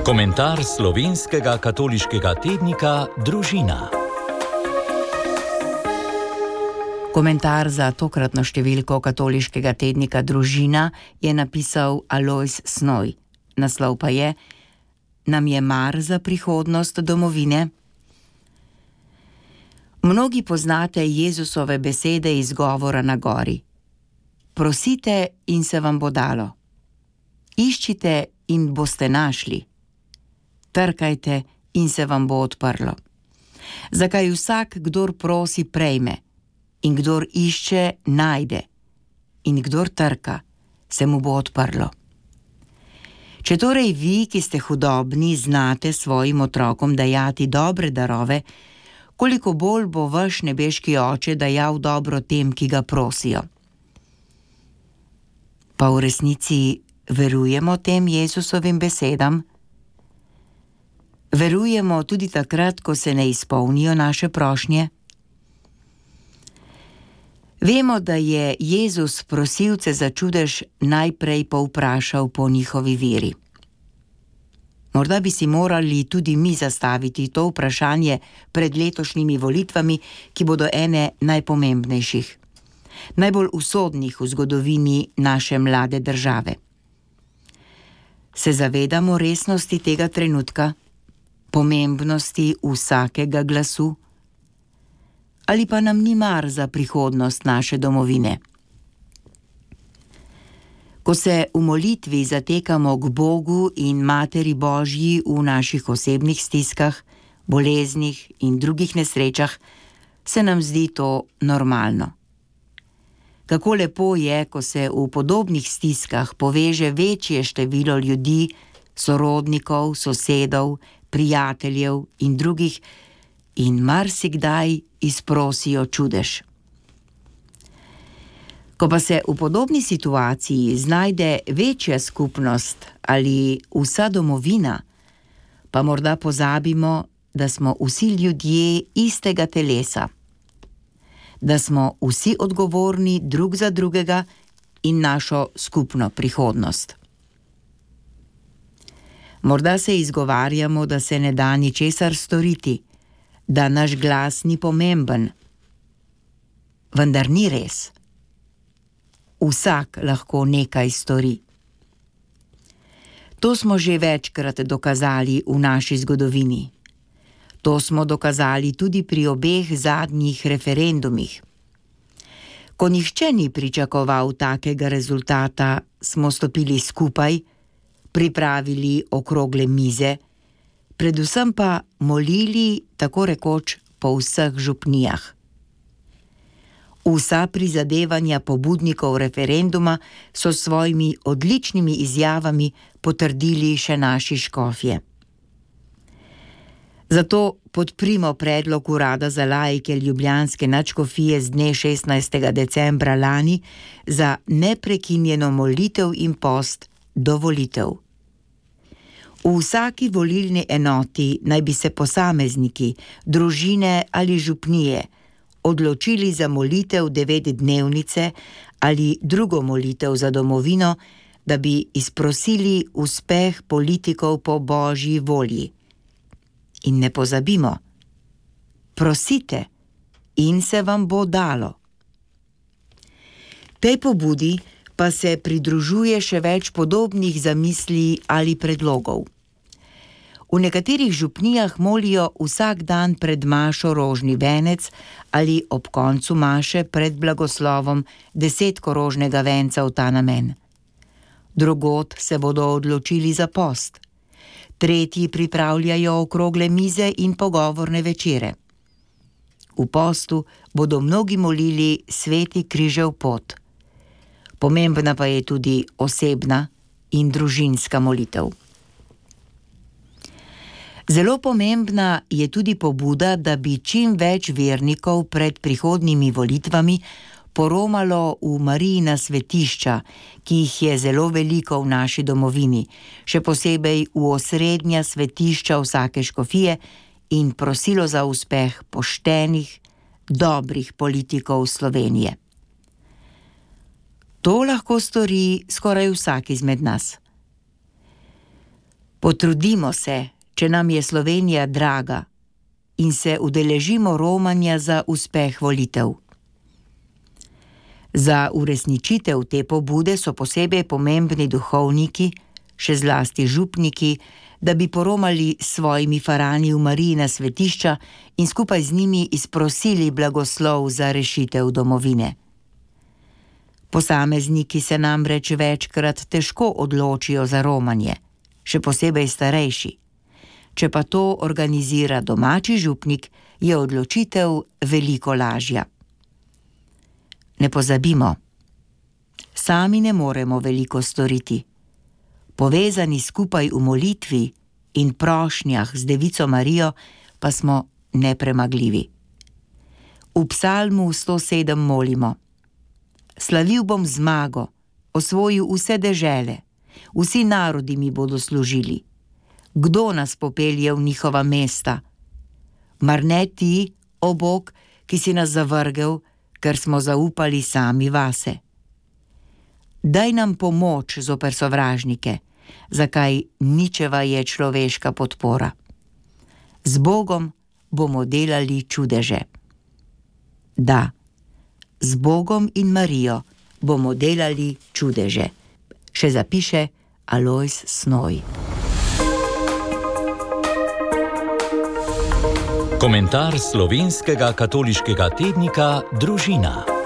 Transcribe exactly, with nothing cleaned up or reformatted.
Komentar slovenskega katoliškega tednika Družina. Komentar za tokratno številko katoliškega tednika Družina je napisal Alojz Snoj. Naslov pa je: Nam je mar za prihodnost domovine? Mnogi poznate Jezusove besede iz govora na gori. Prosite in se vam bo dalo. Iščite in boste našli. Trkajte in se vam bo odprlo. Zakaj vsak, kdor prosi, prejme, in kdor išče, najde, in kdor trka, se mu bo odprlo. Če torej vi, ki ste hudobni, znate svojim otrokom dajati dobre darove, koliko bolj bo vaš nebeški oče dajal dobro tem, ki ga prosijo. Pa v resnici verujemo tem Jezusovim besedam? Verujemo tudi takrat, ko se ne izpolnijo naše prošnje? Vemo, da je Jezus prosilce za čudež najprej povprašal po njihovi veri. Morda bi si morali tudi mi zastaviti to vprašanje pred letošnjimi volitvami, ki bodo ene najpomembnejših, najbolj usodnih v zgodovini naše mlade države. Se zavedamo resnosti tega trenutka, pomembnosti vsakega glasu? Ali pa nam ni mar za prihodnost naše domovine? Ko se v molitvi zatekamo k Bogu in Materi Božji v naših osebnih stiskah, boleznih in drugih nesrečah, se nam zdi to normalno. Kako lepo je, ko se v podobnih stiskah poveže večje število ljudi, sorodnikov, sosedov, prijateljev in drugih, in marsikdaj izprosijo čudež. Ko pa se v podobni situaciji znajde večja skupnost ali vsa domovina, pa morda pozabimo, da smo vsi ljudje istega telesa, da smo vsi odgovorni drug za drugega in našo skupno prihodnost. Morda se izgovarjamo, da se ne da ničesar storiti, da naš glas ni pomemben. Vendar ni res. Vsak lahko nekaj stori. To smo že večkrat dokazali v naši zgodovini. To smo dokazali tudi pri obeh zadnjih referendumih. Ko nihče ni pričakoval takega rezultata, smo stopili skupaj, pripravili okrogle mize, predvsem pa molili tako rekoč po vseh župnijah. Vsa prizadevanja pobudnikov referenduma so s svojimi odličnimi izjavami potrdili še naši škofje. Zato podprimo predlog Urada za laike ljubljanske nadškofije z dne šestnajstega decembra lani za neprekinjeno molitev in post do volitev. V vsaki volilni enoti naj bi se posamezniki, družine ali župnije odločili za molitev devetdnevnice ali drugo molitev za domovino, da bi izprosili uspeh politikov po Božji volji. In ne pozabimo, prosite in se vam bo dalo. Tej pobudi pa se pridružuje še več podobnih zamisli ali predlogov. V nekaterih župnijah molijo vsak dan pred mašo rožni venec ali ob koncu maše pred blagoslovom desetkorožnega venca v ta namen. Drugod se bodo odločili za post. Tretji pripravljajo okrogle mize in pogovorne večere. V postu bodo mnogi molili sveti križev pot. Pomembna pa je tudi osebna in družinska molitev. Zelo pomembna je tudi pobuda, da bi čim več vernikov pred prihodnjimi volitvami poromalo v Marijina svetišča, ki jih je zelo veliko v naši domovini, še posebej v osrednja svetišča vsake škofije, in prosilo za uspeh poštenih, dobrih politikov Slovenije. To lahko stori skoraj vsak izmed nas. Potrudimo se, če nam je Slovenija draga, in se udeležimo romanja za uspeh volitev. Za uresničitev te pobude so posebej pomembni duhovniki, še zlasti župniki, da bi poromali s svojimi farani v Marijina svetišča in skupaj z njimi izprosili blagoslov za rešitev domovine. Posamezniki se namreč večkrat težko odločijo za romanje, še posebej starejši. Če pa to organizira domači župnik, je odločitev veliko lažja. Ne pozabimo, sami ne moremo veliko storiti. Povezani skupaj v molitvi in prošnjah z Devico Marijo pa smo nepremagljivi. V psalmu sto sedem molimo: Slavil bom zmago, osvojil vse dežele, vsi narodi mi bodo služili. Kdo nas popelje v njihova mesta? Mar ne ti, o Bog, ki si nas zavrgel, ker smo zaupali sami vase. Daj nam pomoč zoper sovražnike, zakaj ničeva je človeška podpora. Z Bogom bomo delali čudeže. Da, z Bogom in Marijo bomo delali čudeže, še zapiše Alojz Snoj. Komentar slovenskega katoliškega tednika Družina.